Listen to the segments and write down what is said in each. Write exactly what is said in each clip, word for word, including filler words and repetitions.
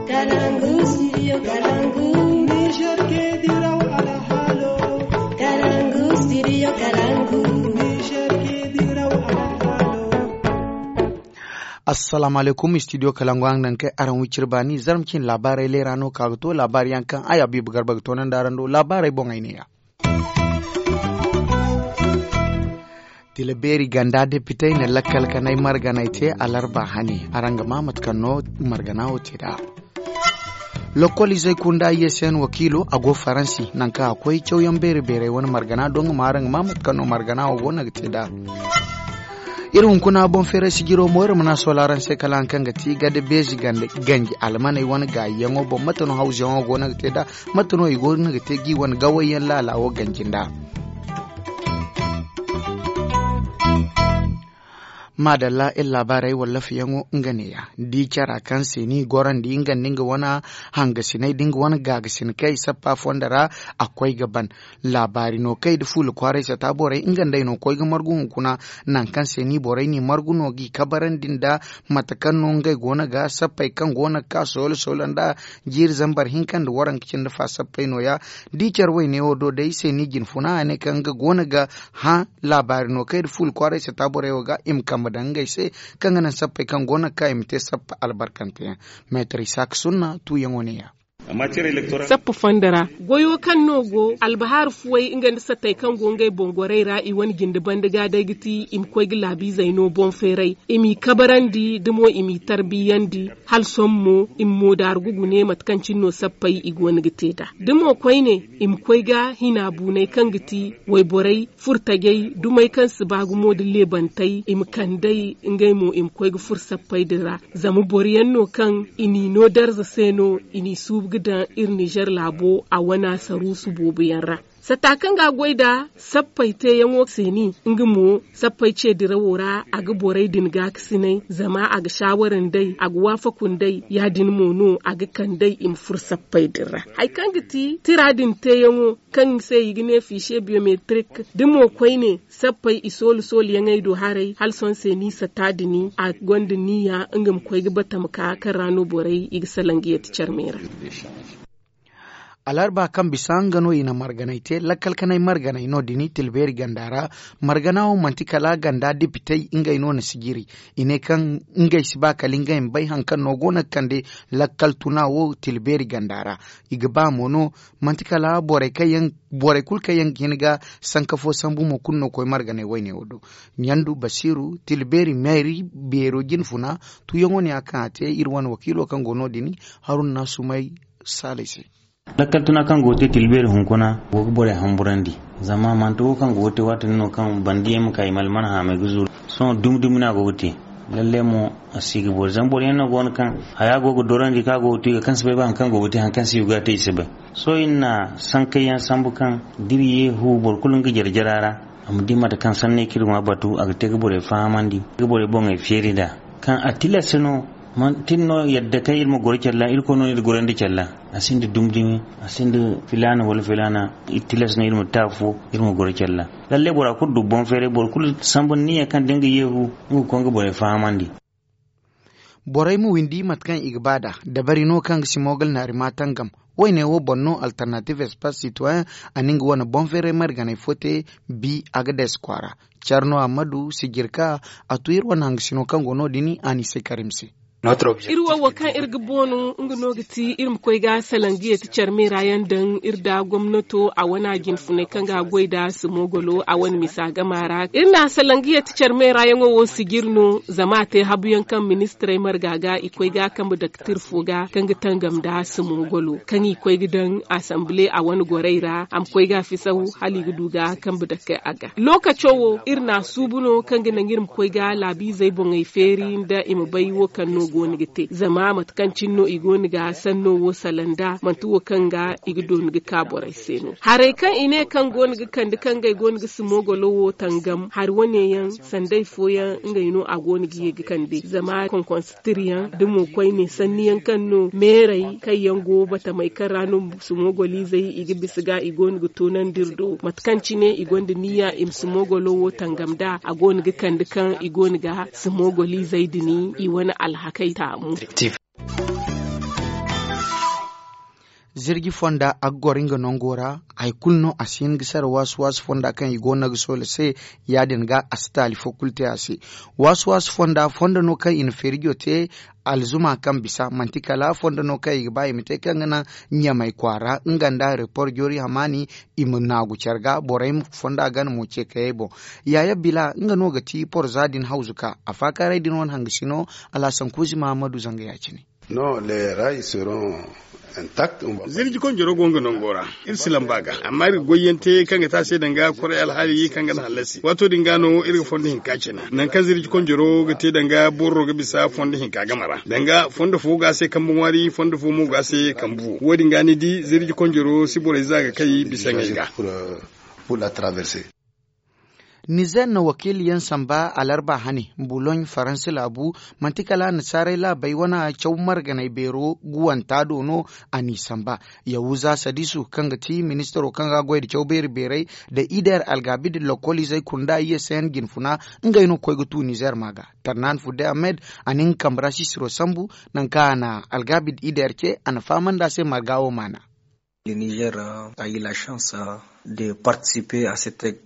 Kalangu, studio Kalangu. Niger ke diraw alhalo. Kalangu, studio Kalangu. Niger ke diraw alhalo. Assalamu alaikum, studio Kalangu, araŋ naŋ kay araŋ wicir baani, zarma cin laabaarey leera no ka ga to, laabaari yaŋ kaŋ ay Habibu Garba ga toonandi araŋ do, laabaarey boŋey neeya. Tila beeri ganda depitey na lakkal kanay marganay te alarba hane. Araŋ ga maa mate kaŋ no margana wo te nd'a. Lokkol izey kunda I S N wakiilo a go Faransi, naŋ kaŋ a koy cawyaŋ beeri beerey wane margana doŋ ga maa araŋ ga maa mate kaŋ no margana wo go no ga te nd'a. Iri hunkuna boŋ feeray sijiro mo iri mana sola araŋ se kala haŋ kaŋ ga ti gada beezi ganji almaney wane gaayiyaŋo boŋ mate no hawzuyaŋo go no ga te nd'a. Mate no i go no ga te ga i wane gawayyaŋ laala wo ganji nd'a. Maadalla iri laabaarey wallaafiyaŋo nga neeya. Di cara kaŋ se ni gorandi nga nda nga wane hangasiney da nga wane gaagasin kaŋ i sappa fondo ra a koy ga ban. Laabaari no kay da fuula kwaaray sata borey nga nd'ey no koy ga margu hunkuna. Naŋ kaŋ se ni borey ni margu no g'i kabarandi nda mate kaŋ no ngey go no ga sappey kaŋ go no ga ka soolo soolo nda jiiri zambar hinka nda waranka cindi fa sappey nooya. Da i care wayne wo do day se ni jine funa a ne kaŋ nga go no ga hã laabaari no kay da fuula kwaaray sata borey wo ga i ma kambe daŋ ngey se kaŋ ga naŋ sappey kaŋ go no ga ka i ma te sappa albarkanteyaŋ. Meetar isaaka sunna tuuyaŋo neeya. Sappa fondo ra goyo kaŋ no go albahar fuwey nga nda satey kaŋ go ngey boŋ gorey ra i wane jinde banda ga day ga ti i ma koy ga laabiizey no boŋ feeray i m'i kabarandi da mo i m'i tarbiyandi hala sohõ mo i ma moodaaru ga gune mate kaŋ cine no sappey i go no ga te nd'a da mo koyne i ma koy ga hina buunay kaŋ ga ti wayborey furtajey dumey kaŋ si ba gumo nda leebantey i ma kand'ey ngey mo i ma koy ga furo sappey din ra. Zama boro yaŋ no kaŋ i n'i no darza se no i n'i suubu ga daŋ iri nizer laabo a wana saruusu boobo yaŋ ra. Sata kaŋ ga a goy nda sappey teeyaŋo se ni nga mo sappey ce dirawo ra a ga borey din gaakasinay zama a ga saawara nd'ey a ga waafaku nd'ey ya- din mo no a ga kand'ey i ma furo sappey din ra. Hari kaŋ ga ti tira din teeyaŋo kaŋ se i ga ne fiise biyometrik da mo koyne sappey i soolu soolu yaŋey do haray hala sohõ se ni sata din a gonda niya nga ma koy ga batama ka kaŋ ra no borey i ga salaŋ ga yatti care me ra. Alarba kaŋ bisa nga no i na marganay te lakkal kanay marganay no- din i tilbeeri ganda ra. Margana wo manti kala ganda depitey ngey no na sijiri. I ne kaŋ ngey si ba kala ngey ma bay hari kaŋ no go no ga kande lakkal tuna wo tilbeeri ganda ra. I ga ba mo no manti kala borey kaŋ yaŋ borey kulu kaŋ yaŋ ga hin ga sanka fo sambu mo kulu no koy marganay wayne wo do. Ɲandu basiiru tilbeeri meeri beero jine funa tuuyaŋo ne ya kaŋ a te iri wane wakiilo kaŋ go no- din haruna na sumay saalay se. Lakkal tuna kaŋ go ga te tilbeeri hunkuna go ga borey hamburandi. Zama manti wo kaŋ go ga te waati din no kaŋ bandiyaŋ ma ka i ma alman haamay ga zuru sohõ dumi dumi no a go ga te. Lalle mo a si ga boori zama boro yaŋ no go no kaŋ haya go ga dorandi kaŋ a go ga tu i ga kaŋ si bay ba hari kaŋ go ga te hari kaŋ si ga te i si bay. Sohõ iri na sankayyaŋ sambu kaŋ da iri yeehu boro kulu nga jare jara ra a ma di mate kaŋ sanney kaŋ iri go a batu a ga te ga borey fahamandi ga borey boŋey feeri nd'a. Kaŋ a tilas no manti no yadda kaŋ iri ma goro care ra irkoy no no iri gorandi care ra. A sinda dumdumi a sinda filaana wala filaana. Iri tilas no iri ma te afo iri ma goro care ra. Lalle bora kulu du boŋ feeray boro kulu sambu niya kaŋ da nga yeehu nga ga koy nga borey fahamandi. Borey ma windi mate kaŋ i ga ba nd'a dabari no kaŋ ga simogal naari ma tangam. Wayne wo boŋ no alternative espace citoyen a na nga wane boŋ feeray marganay fo te. Bi a ga deesi kwaara care no a ma du sijirka a tu iri wane hangasino kaŋ go no- din a n'i se karim se. Iri wo wo kaŋ iri ga boonu nga no ga ti iri ma koy ga salangiye ti care meera yaŋ daŋ iri da gomnato a wane a jinfunay kaŋ ga goy nda simogolo a wane misa gama ra iri na salangiye ti care meera yaŋo wo sijiri no zama a te habu yaŋ kaŋ ministirey marga ga i koy ga kambe daktir fo ga kaŋ ga tangam nda simogolo kaŋ i koy ga daŋ asambile a wane gorey ra a ma koy ga fisaw hala i ga du ga kambe dake a ga. Lookaco wo iri na a suubu no kaŋ ga naŋ iri ma koy ga laabiizey boŋey feeri nda i ma bay wo kaŋ no go no ga te zama mate kaŋ cine no i go no ga sanno wo salaŋ nda manti wo kaŋ ga i ga dooni ga ka borey se no. Harey kaŋ i ne kaŋ go no ga kande kaŋ ngey go no ga simogolo wo tangam hari wane yaŋ sandey fooyaŋ ngey no a go no ga ye ga kande zama konkonsa tiriyaŋ da mo koyne sanniyaŋ kaŋ no meerey kaŋ yaŋ go batamey kaŋ ra no sumogoliizey i ga bisa ga i go no ga toonandi iri do mate kaŋ cine i gonda niya i ma sumogolo wo tangam nd'a a go no ga kande kaŋ i go no ga sumogoliizey din i wane alhakey taamu. Zirji fonda a ga goro nga nango ra. Hari kulu no a si hin ga sara waasu waasu fonda kaŋ i go no ga soola se. Ya- din ga a si taali fo kulu te a se. Waasu waasu fonda fondo no kaŋ i na feerijo te. Alzuma kaŋ bisa manti kala fondo no kaŋ i ga ba i ma te kaŋ ga naŋ ɲamay kwaara nga nda report joori hamaani. I ma naagu care ga borey ma fonda gana mo ce kayey boŋ. Yaaye bila nga no ga ti porza din hawzu ka a faakaaray din wane hangasino. Alhasan kuuzi mahammadu zanga ya- cine. Zirji konjoro go nga nango ra. Iri si lamba ga amma iri ga goyyaŋ te kaŋ ga te a se danga koray alhaali kaŋ ga na hallasi waato din ga no iri ga fondo hinka cina nangu kaŋ zirji konjoro ga te danga borro ga bisa fondo hinka game ra danga fondo fo go a se kambe ŋwaari fondo fo mo go a se kambe wo wo- din ga ni di zirji konjoro si borey za ga kay bisa ŋey ga. Nizer na wakiili yaŋ samba alarba hane, buloɲ faransa laabu. Manti kala annasaarey laabey wane caw marganey beero guwanta do no. A n'i samba. Yahuza sadisu kaŋ ga ti ministaro kaŋ ga goy nda caw beeri beerey nda i deer algaabid lokkoliizey kunda i ye se yaŋ jinfuna. Ngey no ga koy ga tu nizer ma ga. Tarnan fudde ahmed. A na nga kambe ra sisiro sambu. Nangu kaŋ a na algaabid i deer ce a na fahamandi a se marga wo maana.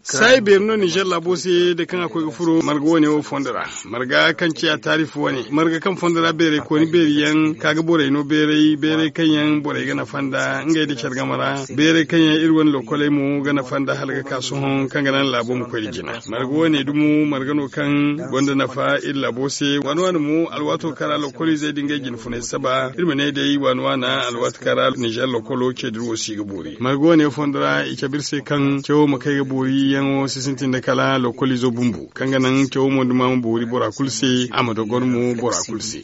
Saayi beeri no nizer laabo se da kaŋ a koy ga furo marga wane wo fondo ra. Marga kaŋ ciya taarif wane marga kaŋ fondo ra beerey kooni beeri yaŋ ka ga borey no beeray beeray kaŋ yaŋ borey ga nafa nda ngey nda care game ra. Beeray kaŋ yaŋ iri wane lokoley mo ga nafa nda hala ga ka sohõ kaŋ ga naŋ laabo ma koy nda jina marga wane dumo marga no kaŋ gonda nafa iri laabo se waani waani mo alwaato kaŋ ra lokoliizey da ngey jinfunay saba iri ma ne day waani waana alwaati kaŋ ra nizer lokolo ce dira wo si ga boori marga wane fondo ra i cabe iri se kaŋ cawo ma kay ga boori yaŋo si sintin da kala lokoliizo bumbo kaŋ ga naŋ cawo mo duma ma boori bora kulu se. A ma dogor mo bora kulu se.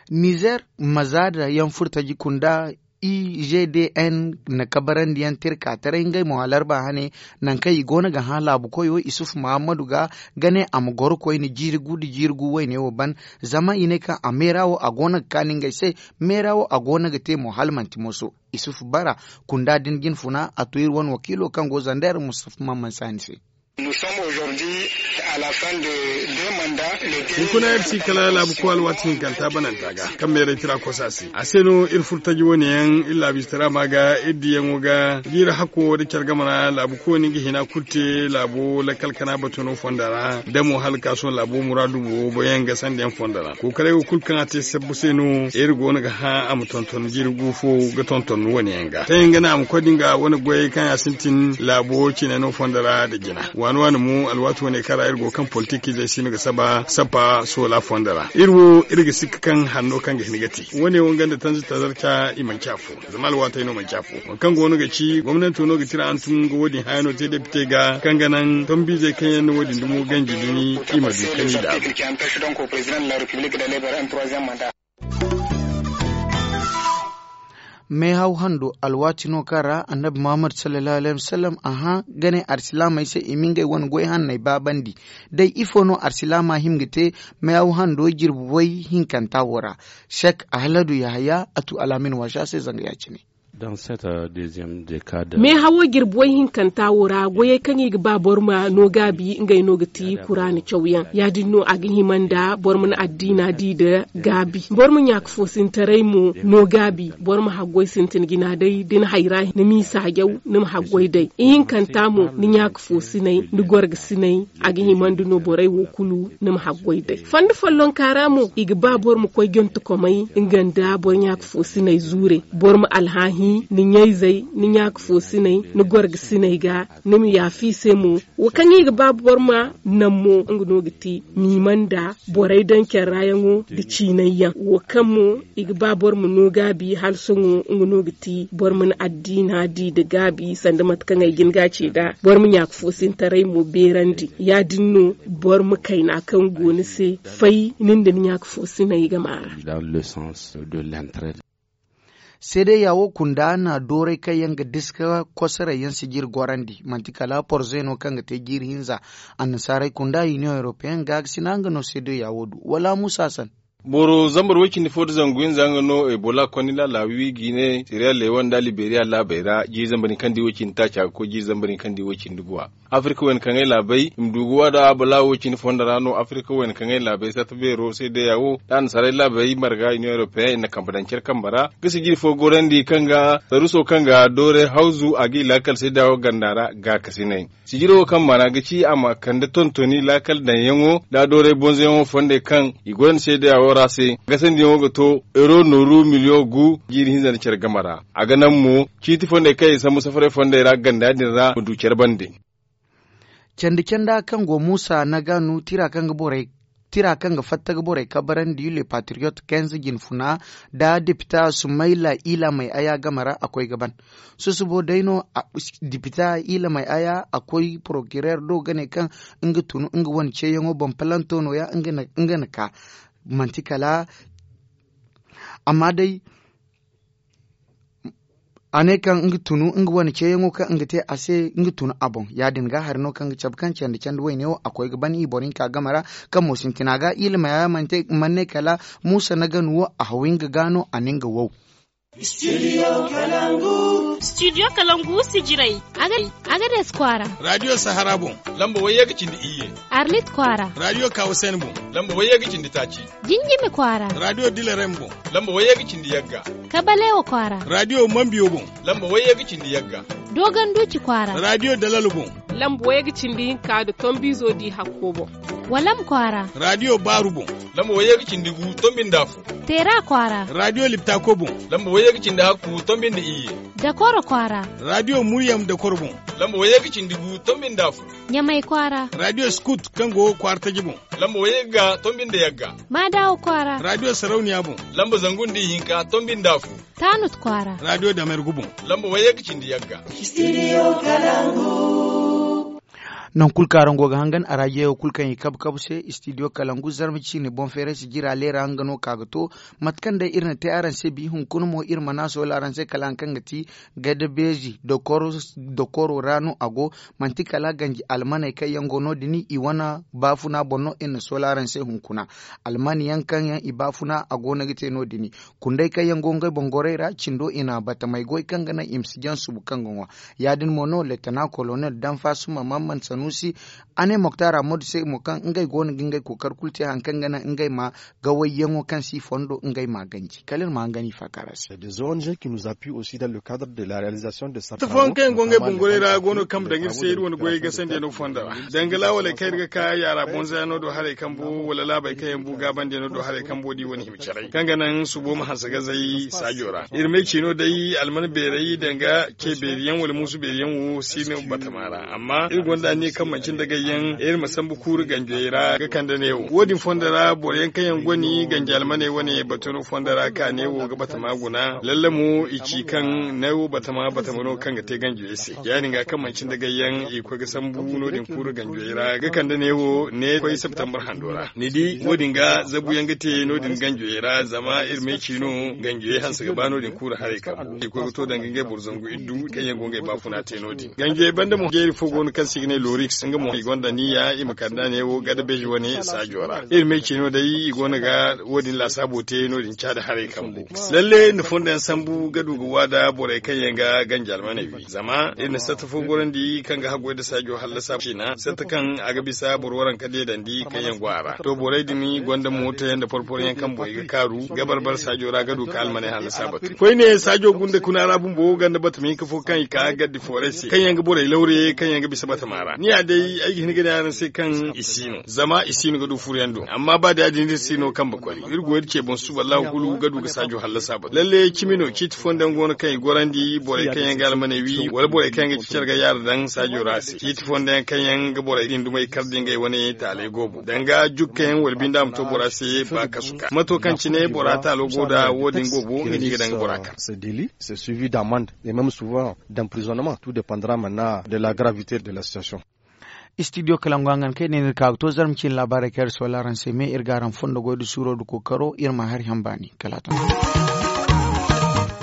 Nizer mazaada yaŋ furtaji kunda i g d n na kabarandiyaŋ tirka taray ngey mo alarba hane. Nangu kaŋ i go no ga hã laabu koyo isuf muhammadu ga ga ne a ma goro koyne jiiri gu nda jiiri gu wayne wo ban. Zama i ne kaŋ a meera wo a go no ga kaani ngey se. Meera wo a go no ga te mo hala manti moso. Isuf bara kunda din jinfuna a to iri wane wakiilo kaŋ go zander mustafa mamman saani se. Hunkuna iri si kala laabu koy alwaati hinkanta bananta ga kaŋ meeray tira kosa se a se no iri furtaji wane yaŋ iri laabu ize tara ma ga iri diyaŋo ga jiiri hakko nda care game ra laabu koy no nga hina kulu te laabo lakkal kana batuno fonda ra da mo hala ka sohõ laabo muraadu bobo yaŋ ga sanda yaŋ fonda ra kookaray wo kulu kaŋ a te sabbu se no iri go no ga hã a ma tonton jiiri gu fo ga tonton wane yaŋ ga tayaŋ ga naŋ a ma koy da nga wane goyey kaŋ ya sintin laabo cine no fonda ra nda jina waani waani mo alwaati wane kaŋ ra iri go kaŋ politik izey si no ga saba sappa soola fonda ra iri wo iri ga sikka kaŋ hanno kaŋ ga hin ga te wane wo nga nda tanzi tazarca i manci afo zama alwaatey no manci afo waŋ kaŋ go no ga ci gomnanto no ga tira hantum ga wo- din haya no te depite ga kaŋ ga naŋ tombiizey kaŋ yaŋ na wo- din dumo ganji dumi i ma du kani daabu. Meehaw hando alwaati no kaŋ ra annabi muhammad sallallahu alaihi wasallam a hã ga ne arsilaamey se i ma ngey wane goy hanney baabandi. Day ifo no arsilaama hima ga te meehaw hando jirbi way hinkanta wo ra? Sek ahladu yahaya a tu alaamin waasa se zanga ya- cine. Meehawo jirbi way hinkanta wo ra goyey kaŋ i ga ba boro ma no gaabi ngey no ga ti kuraana cawyaŋ ya- din no a ga hima nda boro ma na addiina di nda gaabi boro ma ɲaaka foosintaray mo no gaabi boro ma haggoy sintin jina day da ni hayra ni m'i saajaw ni ma haggoy day ihinkanta mo ni ɲaaka foosinay ni gorgasinay. A ga himandi no borey wo kulu ni ma haggoy day fondo follonka ra mo i ga ba boro ma koy jontokomey nga nda boro ɲaaka foosinay zuurey boro ma alhaahi ni ɲayzey ni ɲaaka foosinay ni gorgasinay ga ni ma yaafa i se mo. Wo kaŋ i ga ba boro ma naŋ mo nga no ga ti miima nda borey daŋ care ra yaŋo nda ciinay yaŋ wo kaŋ mo i ga ba boro ma no gaabi hala sohõ nga no ga ti boro ma na addiina di nda gaabi sanda mate kaŋ ay ga hin ga a ce nd'a boro ma ɲaaka foosintaray mo beerandi ya- din no boro ma kayna kaŋ go ni se fay ni nda ni ɲaaka foosinay game a ra. Seedeya wo kunda na dooray kaŋ yaŋ ga diska kosoray yaŋ si jiri gorandi manti kala porze no kaŋ ga te jiiri hinza. Annasaarey kunda union european ga ga sina nga no seedeya wo du wala musa san. Boro zambar way-cindi fo nda zangu hinza nga no ebola konni laala wi ga i ne siriya leewon nda liberiya laabey ra jiiri zambar hinka nda i way-cindi taaca ga koy jiiri zambar hinka nda i way-cindi guwa. Afirka wayna kaŋ ay laabey i ma du ga waada bala way-cindi fo nda ra no afirka wayna kaŋ ay laabey sarta beero seedeya wo nda annasaarey laabey marga iniyoŋ europeyaŋ i na kambe daŋ care kambe ra ga sijiri fo gorandi kaŋ ga saruso kaŋ ga doore hawzu a ga i laakal seedeya wo ganda ra gaakasinay. Sijiro wo kaŋ maana ga ci a ma kande tontoni laakal daŋyaŋo nda doorey bonzoyaŋo fondey kaŋ i gonda seedeya wo ra se gasandiyaŋo ga to euro nooru miliyoŋ gu jiiri hinza nda care game ra. A ga naŋ mo ciiti fondey kaŋ i sambu safaray fondey ra ganda din ra ma du care bande. Candi canda kaŋ go muusa na ga nu tira kaŋ ga fatta ga borey kabarandi le patriyot kenz jinfuna nda depita sumayla ila may aya game ra a koy ga ban. Susubo day no depita ila may aya a koy porokirer do ga ne kaŋ nga tun nga wane ceeyaŋo boŋ palanto no- ya nga na ka manti kala amma day a ne kaŋ nga tunu nga wane ceeyaŋo kaŋ nga te a se nga tunu a boŋ ya- din ga hari no kaŋ ga cabe kaŋ candi candi wayne wo a koy ga ban i boro hinka game ra. Kaŋ mo sintina ga ila may aya mana ne kala muusa na ga nu wo a haw nga ga no a na nga wow. Studio kalangu sijirey. Agades kwaara. Radio sahara boŋ. Lamba wayye ga cindi iyye. Arlit kwaara. Radio kawasen boŋ. Lamba wayye ga cindi taaci. Jinjimi kwaara. Radio dilarem boŋ. Lamba wayye ga cindi yagga. Kabalewa kwaara. Radio mambiyo boŋ. Lamba wayye ga cindi yagga. Dogon duci kwaara. Radio dalalo boŋ. Lamba wayye ga cindi hinka nda tombizo di hakko boŋ. Walam kwaara. Radio baaru boŋ. Lamba wayye ga cindi gu tombi nda fu. Teera kwaara. Radio liptako boŋ. Lamba wayye ga cindi hakku tombi nda iyye. Dakoro kwaara. Radio muryam dakoro boŋ. Lamba wayye ga cindi gu tombi nda fu. Ɲamay kwaara. Radio skut kaŋ go kwaara taji boŋ. Lamba wayye ga tombi nda yagga. Maadawo kwaara. Radio sarauniya boŋ. Lamba zangu nda ihinka tombi nda fu. Tanut kwaara. Radio damergu boŋ. Lamba wayye ga cindi yagga. Nangu kulu kaŋ araŋ go ga hangan arajiyaŋo kulu kaŋ i kabu kabu se istidiyo kalangu zarma ciine boŋ feeray sijira leera nga no ka ga to. Mate kaŋ day iri na te araŋ se bi hunkuna mo iri mana soola araŋ se kala hari kaŋ ga ti gadabeezi dokoro ra no a go. Manti kala ganji almaney kaŋ yaŋ go no- din i wane baafuna boŋ no iri na soola araŋ se hunkuna. Alman yaŋ kaŋ yaŋ i baafuna a go no ga te no- din. Kundey kaŋ yaŋ go ngey boŋ gorey ra cindo i na batamey goy kaŋ ga naŋ i ma si jaŋ subu kaŋ ga ŋwa. Ya- din mo no leetana kolonel danfasuma mamman sanusi a ne moktar ammadu se mo kaŋ ngey go no ga ngey kookari kulu te hari kaŋ ga naŋ ngey ma gawayyaŋo kaŋ si fondo ngey ma ganji kala iri ma hangan i faakara se. Tafoyaŋ kaŋ yaŋ go ngey boŋ gorey ra go no kaŋ ma daŋ iri se iri wane goyey gasandi yaŋ no fondo ra danga laawaley kaŋ iri ga ka yaara bonza yaŋ no do haray kambo wala laabey kaŋ yaŋ bu gaabandi yaŋ no do haray kambo da i wane hima caray kaŋ ga naŋ subo ma hanse gazey saajo ra iri may ciino day alman beeray danga ce beeri yaŋ wala muusu beeri yaŋ wo si no batama ra amma iri gonda anniya kaŋ manci nda gayyaŋ iri ma sambu kuuru ganjey ra ga kande neewo wo- din fondo ra boro yaŋ kaŋ yaŋ goni ganji almaney wane batu no fondo ra ka neewo ga batama guna lalle mo i ci kaŋ neewo batama batama no kaŋ ga te ganjey se ya- din ga kaŋ manci nda gayyaŋ i koy ga sambu no- din kuuru ganjey ra ga kande neewo ne koy septembar hando ra ni di wo- din ga zabu yaŋ ga te no- din ganjey ra zama iri may ci no ganjey hanse ga ba no- din kuuru haray kambo i koy ga to danga ngey boro zangu iddu kaŋ yaŋ go ngey baafuna te no- din ganjey banda mo jeeri fo go no kaŋ se i ga ne loriks nga mo i gonda niya i ma kande a ne wo gada beji wane saajo ra iri may ci no day i go no ga wo- din laasaabo te no- din caada haray kambo lalle ni fondo yaŋ sambu ga du ga waada borey kaŋ yaŋ ga ganji almaney wi zama iri na satta fo gorandi kaŋ ga haggoy nda saajo hallasa ciina satta kaŋ a ga bisa boro waranka deedandi kaŋ yaŋ go a ra to borey din gonda mooto yaŋ nda porporo yaŋ kaŋ borey ga kaaru ga barbar saajo ra ga du ka almaney hallasa batu koyne saajo gunda kuna ra bumbo ganda batama hinka fo kaŋ i ka gaddi fooray se kaŋ yaŋ ga borey lawre kaŋ yaŋ ga bisa batama ra ni ya day ay ga hin ga ne araŋ se kaŋ i si no zama i si no ga du furo yaŋ do amma ba da ya- din iri si no kambe koy iri go iri ce boŋ suba allahu kulu ga du ga saajo hallasa batu lalle cimi no ciiti fooyaŋ go no kaŋ i gorandi borey kaŋ yaŋ ga almaney wi wala borey kaŋ yaŋ ga ci care ga yaara daŋ saajo ra se ciiti fooyaŋ kaŋ yaŋ ga borey din dumey kar da ngey wane taaley goobo danga jukka yaŋ wala binda ma to bora se ba kasu ka mato kaŋ cine bora taalo go da wo- din goobo nga no i ga daŋ ga bora kar. C'est suivi d'amende et même souvent d'emprisonnement, tout dépendra maintenant de la gravité de la situation. Istidiyo kalangu hangan kaŋ i ne ni ga ka ga to zarma ciine laabaarey kaŋ iri soola araŋ se me iri ga araŋ fondo goy nda suuro nda kookaro iri ma hari hamba ni kala a to.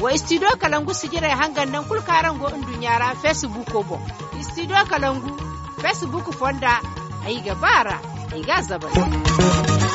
Wa istidiyo kalangu sijirey hangan nangu kulu kaŋ araŋ go nduɲɲa ra feesibuuko boŋ. Istidiyo kalangu feesibuuk fonda ay ga ba a ra ay ga a zabari.